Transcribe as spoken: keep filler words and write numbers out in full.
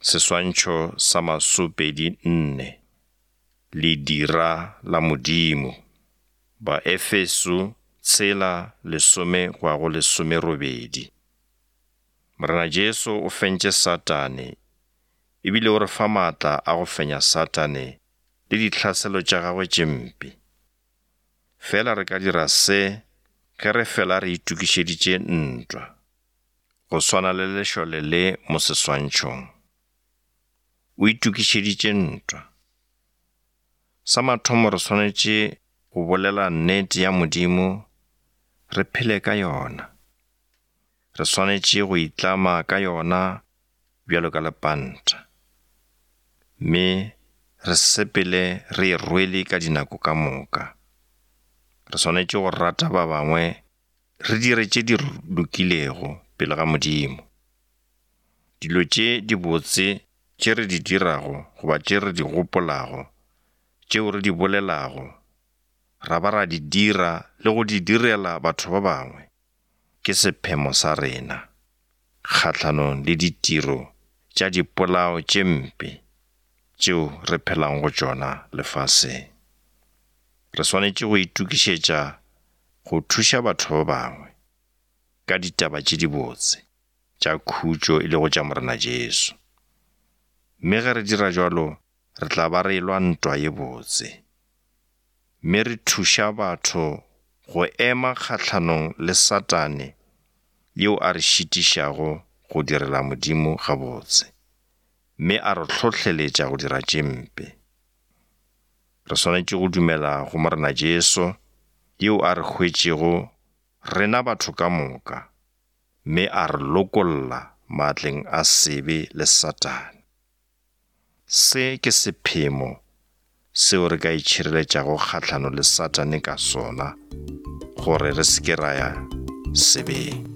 Seswantšho sa masopedi nne. Ledira la Modimo. Baefeso tshela lesome go ya go lesomerobedi. Morena Jesu o fentše Satane ebile o re fa maatla a go fenya Satane le ditlhaselo tša gagwe tše mpe. Fela re ka dira se ge re fela re itokišeditše ntwa, go swana le lešole le mo seswantšhong. O itokišeditše ntwa. Sa mathomo re swanetše go bolela nnete ya Modimo, re phele ka yona. Re swanetše go itlama ka yona bjalo ka lepanta, mme re sepele re e rwele ka dinako ka moka. Re swanetše go rata ba bangwe, re dire tše di lokilego pele ga Modimo. Dilo tše dibotse tše re di dirago goba tše re di gopolago, tšeo re di bolelago, ra ba ra di dira le go di direla batho ba bangwe, ke sephemo sa rena kgahlanong le ditiro tša dipolao tše mpe tšeo re phelang go tšona lefaseng. Re swanetše go itokišetša go thuša batho ba bangwe ka ditaba tše dibotse tša khutšo e lego tša Morena Jesu. Mme ge re dira jwalo, re tla ba re elwa ntwa ye botse, mme re thuša batho go ema kgahlanong le Satane yeo a re šitišago go direla Modimo gabotse, mme a re hlohleletša go dira tše mpe. Re swanetše go dumela go Morena Jesu yeo a re hwetšego rena batho ka moka, mme a re lokolla maatleng a sebe le Satane. Se ke sephemo seo re ka itšhireletšago kgahlano le Satane ka sona, gore re se ke ra ya sebeng.